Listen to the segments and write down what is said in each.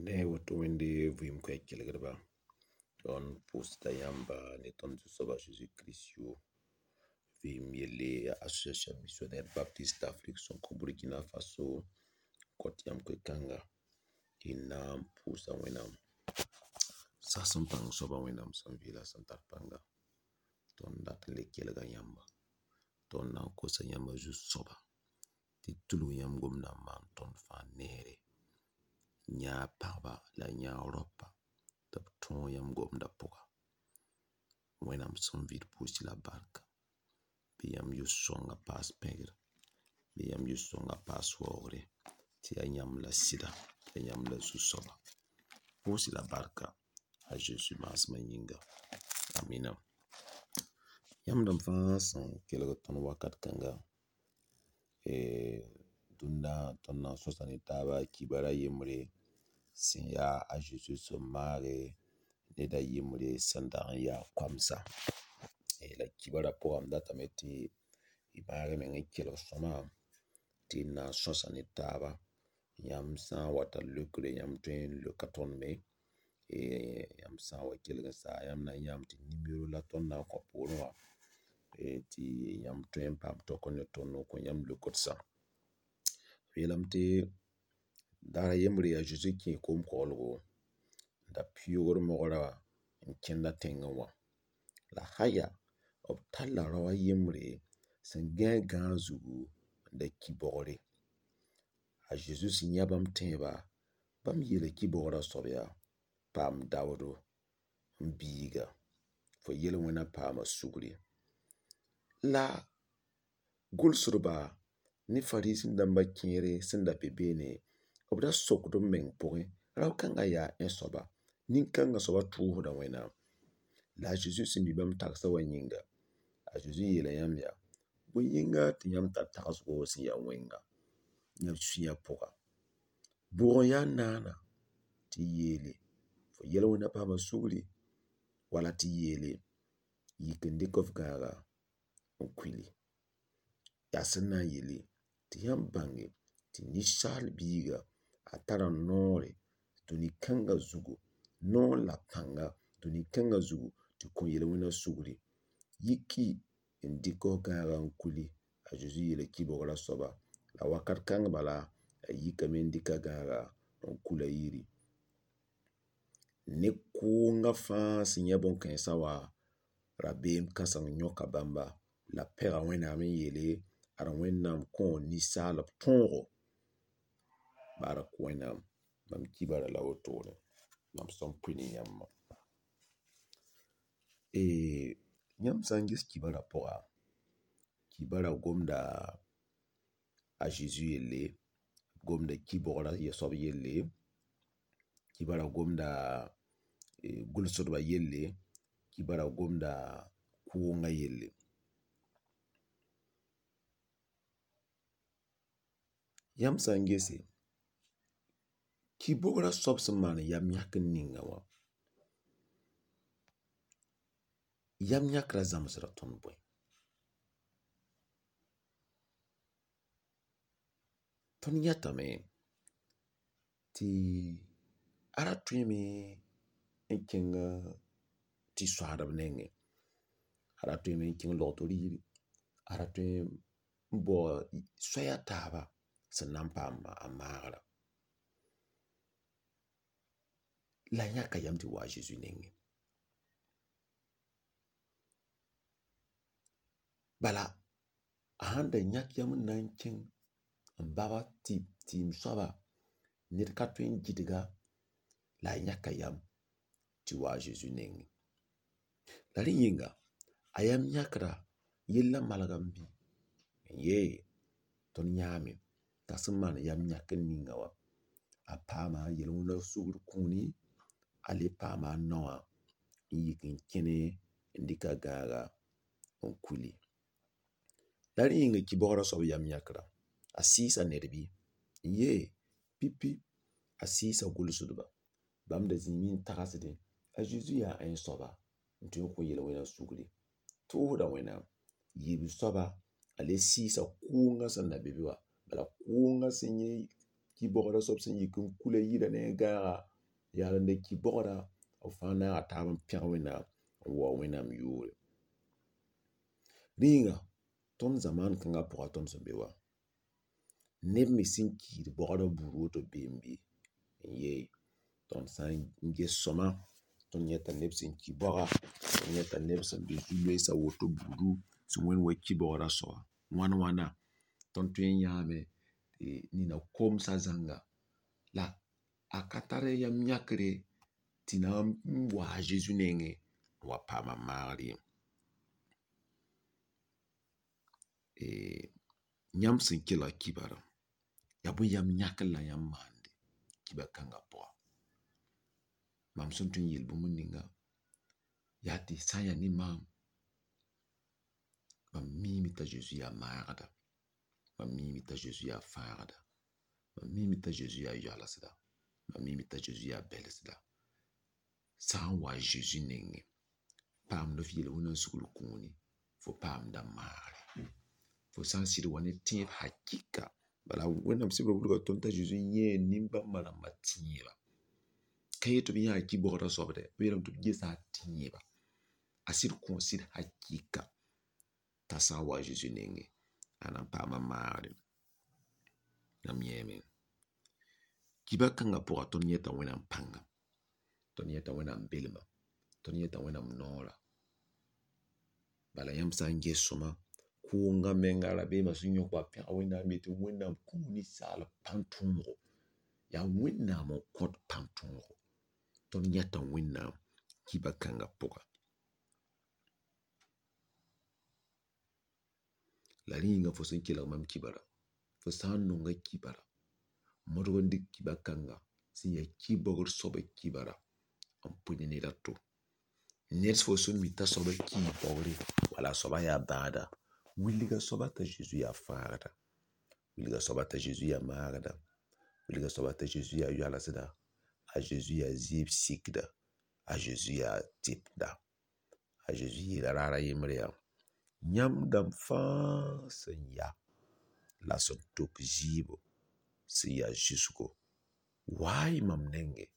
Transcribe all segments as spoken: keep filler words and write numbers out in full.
Ne woto wẽnde vɩɩm koɛɛg kelgdba tõnd pʋʋsda yãmba ne tõnd Zu-soaba Zeezi Kirist yʋʋr vɩɩm yelle yaa Association Missionnaire Baptiste d'Afrique sẽn kõ Burkina Faso n kõt yãmb koe-kãnga tɩ y na n pʋʋsa Wẽnnaam sas n pãng soaba Wẽnnaam sẽn vɩ la sẽn tar pãnga tõnd dat n le kelga yãmba tõnd na n kosa yãmba zu-soaba tɩ tulg yãmb gomdã n maan tõnd fãa neere yãag pagba la yãag raopa tɩ b tõog yãmb gomdã pʋga Wẽnnaam sẽn vɩ d pʋʋs-y la barka bɩ yãmb yʋ-sõngã paas pẽgr bɩ yãmb yʋ-sõngã paas waoogre tɩ yaa yãmb la sɩda yaa yãmb la zu-soaba pʋʋs-y la barka a Zeezi maasmã yĩnga amina yãmb dãmb fãa sẽn kelg tõnd wakat kãnga dũnna tõnd na n sõsa ne taaba kibara yembre sẽn yaa a Zeezi sẽn maage ned a yembre sẽn dag n yaa koamsa la kibara pʋgã m datame tɩ y maag y meng n kelg sõama tɩ d na n sõsa ne taaba yãmb sã n wa tar leokre yãmb tõe n leoka tõnd me yãmb sã n wa kelg n sa yãmb na n yãame tɩ nimero la tõnd na n kõ poorẽ wã tɩ yãmb tõe n paam taoka ne tõnd n kõ yãmb leokdsã b yeelame tɩ daar a yembre a Zeezi kẽe koom-koglgo n da pɩʋʋgd mogra wã n kẽnda tẽngẽ wã la haya b talla rao a yembre sẽn gãe gãag zugu n da ki baoogre a Zeezi sẽn yã bãmb tẽeba bãmb yeela ki-baoogrã soab yaa paam daoodo m biiga fo yel-wẽna paama sugri la gʋlsdba ne fariisẽ-dãmba kẽere sẽn da be beene b da sokd b meng pʋgẽ rao-kãngã yaa ãe soaba nin-kãngã soabã tʋʋsda Wẽnnaam la a Zeezi sẽn mi bãmb tagsã wã yĩnga a Zeezi yeela yãmb yaa bõe yĩnga tɩ yãmb tar tagsgo sẽn ya wẽnga yãmb sũyã pʋga bʋg n yaa naana tɩ y yeele fo yel-wẽna paama sugri wala tɩ yeele yik n dɩk f gãaga n kuili yaa sẽn na n yele tɩ yãmb bãnge tɩ ninsaal biiga a tara noore dũni kãngã zugu noor la pãnga dũni kãngã zugu tɩ kõ yel-wẽna sugri yiki n dɩk f gãagã n kuli a Zeezi yeela ki-baoogrã soaba la wakat kãng bala a yikame n dɩk a gãaga n kul a yiri ne kʋʋngã fãa sẽn yã bõn-kãensã wã rabeem kãseng yõka bãmba la pɛga Wẽnnaam n yeele ad Wẽnnaam kõo ninsaalb tõogo bark Wẽnnaam mam kibara la wotone mam sẽn pʋɩ ne yãmbã yãmb sã n ges kibara pʋga kibara gomda a Zeezi yelle gomda ki-baoogrã soab yelle kibara gomda gʋlsdbã yelle kibara gomda kʋʋngã yelle yãmb sã n gese ki-baoogrã soab sẽn maan yam yãkr ninga wã yam yãkrã zãmsda tõnd bõe tõnd yãtame tɩ a ra tõeme n kẽng tɩ soaadb nengẽ a ra tõeme n kẽng logto rɩɩre a ra tõe n bao soaya taaba sẽn na n paam a maagrã la a yãka yam tɩ wa a Zeezi nengẽ bala a sãn da yãk yam n na n kẽng n bab tɩɩm soaba ned ka tõe n gɩdga la a yãka yam tɩ wa a Zeezi nengẽ la rẽ yĩnga a yam yãkrã yellã malgame bɩ n yee tõnd yãame t'a sẽn maan yam yãkr ninga wã a paama yel-wẽna sugr kũuni a le paama a naowã n yik n kẽne n dɩk a gãaga n kuli la rẽ yĩnga ki-baoogrã soab yam yãkra a sɩɩsa ned bɩ n yee pipi a sɩɩsa gʋlsdba bãmb da zĩime n tagsdẽ a Zeezi yaa ãe soaba n tõe n kõ yel-wẽna sugri tʋʋsda Wẽnnaam yiib soaba a le sɩɩsa kʋʋngã sẽn da be be wã bala kʋʋngã sẽn yẽ ki-baoogrã soab sẽn yik n kula yirã ne a gãaga Yaal n le ki-bogda b fãa naaga taab n pẽg Wẽnnaam n waoog Wẽnnaam yʋʋre. Rĩiga tõnd zamaan kãngã pʋga tõnd sẽn be wã neb me sẽn kiid bogdã buud woto beem bɩ? N yee tõnd sã n ges sõma tõnd yẽta neb sẽn ki baoga, tõnd yẽta neb sẽn be zu-loeesã woto buudu sẽn wẽnd wa ki-baoodã soaba. Wãn wãna tõnd tõe n yãame tɩ nina komsã zãnga la a ka tar yam yãkre tɩ na n wa a Zezi nengẽ n wa paam a maagr ye. Yãmb sẽn kelg kibarã, yaa bõe yam yãkr la yãmb maande kibar-kãngã pʋga? Mam sẽn tõe n yeel bũmb ninga yaa tɩ sã n yaa ne maam, mam miime t'a Zezi yaa maagda, mam miime t'a Zezi yaa fãagda, mam miime t'a Zezi yaa yoalsda, mam miime t'a Zezi yaa bɛlsda. Sã n wa a Zezi nengẽ, paamd f yel-wẽna sugr kũuni, fo paamda maagre. Fo sã n sɩd wa ne tẽeb hakɩka, bala Wẽnnaam sebrã wilga tõnd t'a Zezi yãee nin-bãmba rãmbã tẽeba. Ka yet tɩ b yãa ki-baoodã soab dɛ, b yeelame tɩ b gesa a tẽeba. A sɩd kõo sɩd hakɩka t'a sã n wa a Zezi nengẽ, a na n paama maagre. Yãmb yẽeme. Kibar-kãngã pʋga tõnd yẽta Wẽnnaam pãnga, tõnd yẽta Wẽnnaam belma, tõnd yẽta Wẽnnaam noorã. Bala yãmb sã n ges sõma, kʋʋngã menga rabeemã sẽn yõk ba pẽg Wẽnnaam yetɩ Wẽnnaam kũu ninsaal pãn-tõogo. Yaa Wẽnnaam n kõt pãn-tõogo. Tõnd yãta Wẽnnaam kibar-kãngã pʋga. La rẽ yĩnga fo sẽn kelg mam kibarã, fo sã n nonga kibarã, modg n dɩk kibar-kãnga sẽn yaa ki-baoogr soabã kibarã n pʋɩ ne ned a to. Ned fo sẽn mi t'a soabã kii baoogre wala a soabã yaa bãada, wilg a soaba t'a Zezi yaa fãagda, wilg a soaba t'a Zezi yaa maagda, wilg a soaba t'a Zezi yaa yoalsda, a Zezi yaa zɩɩb sikda, a Zezi yaa tɩpda. A Zezi yeela raar a yembre yaa: yãmb dãmb fãa sẽn ya la sẽn tok zɩɩbo sẽn ya zʋsgo, wa-y mam nengẽ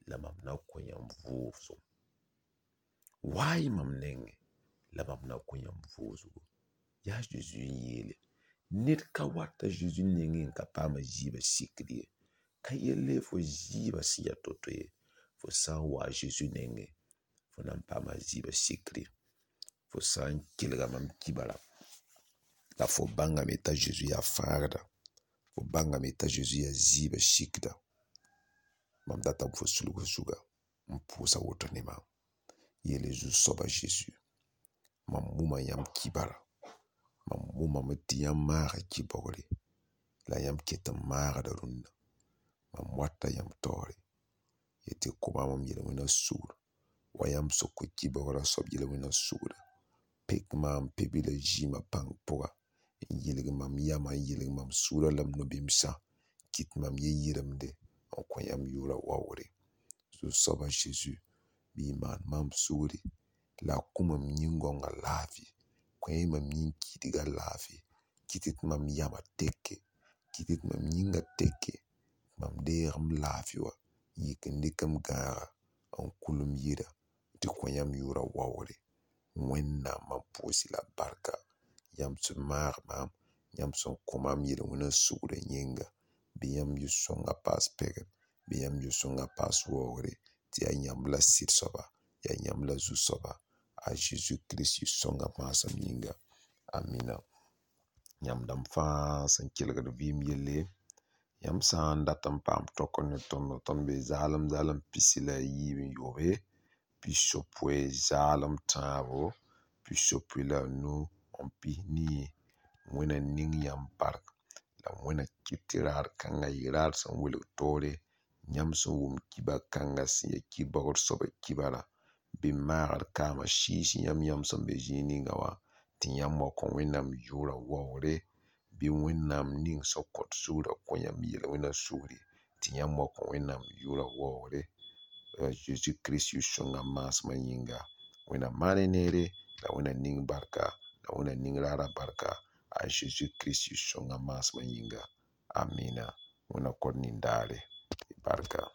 la mam na kõ yãmb vʋʋsem. Wa-y mam nengẽ la mam na kõ yãmb vʋʋsgo. Yaa Zezi n yeele. Ned ka wat a Zezi nengẽ n ka paam a zɩɩbã sikd ye. Ka yelle fo zɩɩbã sẽn ya to-to ye, fo sã n wa a Zezi nengẽ, fo na n paama a zɩɩbã sikre. Fo sã n kelga mam kibarã, la fo bãngame t'a Zezi yaa fãagda, fo bãngame t'a Zezi yaa zɩɩbã sikda, mam datame fo sulg f zuga n pʋʋs a woto ne maam. Yeele Zu-soaba Zezi, mam wʋma yãmb kibarã, mam wʋmame tɩ yãmb maaga ki-baoogre, la yãmb ket n maagda rũnna. Mam wata yãmb taoore, yetɩ kõ maam m yel-wẽna sugr, wa yãmb sẽn kõ ki-baoogrã soab yel-wẽna sugrã. Pek maam pe-bilã zɩɩmã pãng pʋga, n yɩlg mam yamã, n yɩlg mam sũurã la m no-bɩmsã, kɩt mam yɛ-yɩremde n kõ yãmb yʋʋrã waoogre. Zu-soaba Zezi, bɩ y maan maam sugri la a kõ mam yĩn-gãongã laafɩ, kõ-y mam yĩn-kiidgã laafɩ, kɩt tɩ mam yamã teke, kɩt tɩ mam yĩngã teke, mam deeg m laafɩ wã n yik n dɩk m gãaga n kul m yirã tɩ kõ yãmb yʋʋrã waoogre. Wẽnnaam mam pʋʋs-y la barka, yãmb sẽn maag maam, yãmb sẽn kõ maam yel-wẽna sugrã yĩnga. Bɩ yãmb yʋ-sõngã paas pɛgr, bɩ yãmb yʋ-sõngã paas waoogre, tɩ yaa yãmb la sɩd soaba, yaa yãmb la zu-soaba, a Zezi Kirist yʋ-sõngã maasem yĩnga. Amina. Yãmb dãmb fãa sẽn kelgd vɩɩm yelle, yãmb sã n dat n paam tõk ne tõndo, tõnd be zaalem zaalem pisi la a yiib n yoobe, pisopoe zaalem tãabo, pisopoe la a nu n pis nii. Wẽnna ning yãmb bark la Wẽnna kɩt tɩ raar kãngã yɩ raar sẽn welg toore. Yãmb sẽn wʋm kibar-kãngã sẽn ya ki-baoogr soabã kibarã, bɩ maagd kaamã sɩɩs yãmb yãmb sẽn be zĩig ninga wã, tɩ yãmb wa kõ Wẽnnaam yʋʋrã waoogre, bɩ Wẽnnaam ning sẽn kõt sugrã kõ yãmb yel-wẽna sugri, tɩ yãmb wa kõ Wẽnnaam yʋʋrã waoogre. A Zezi Kirist yʋ-sõngã maasmã yĩnga. Wẽnnaam maan y neere, la Wẽnna ning barka, la Wẽnna ning raarã barka, a Zezi Kirist yʋ-sõngã maasmã yĩnga. Amina. Wẽnna kõt nin-daare. Barka.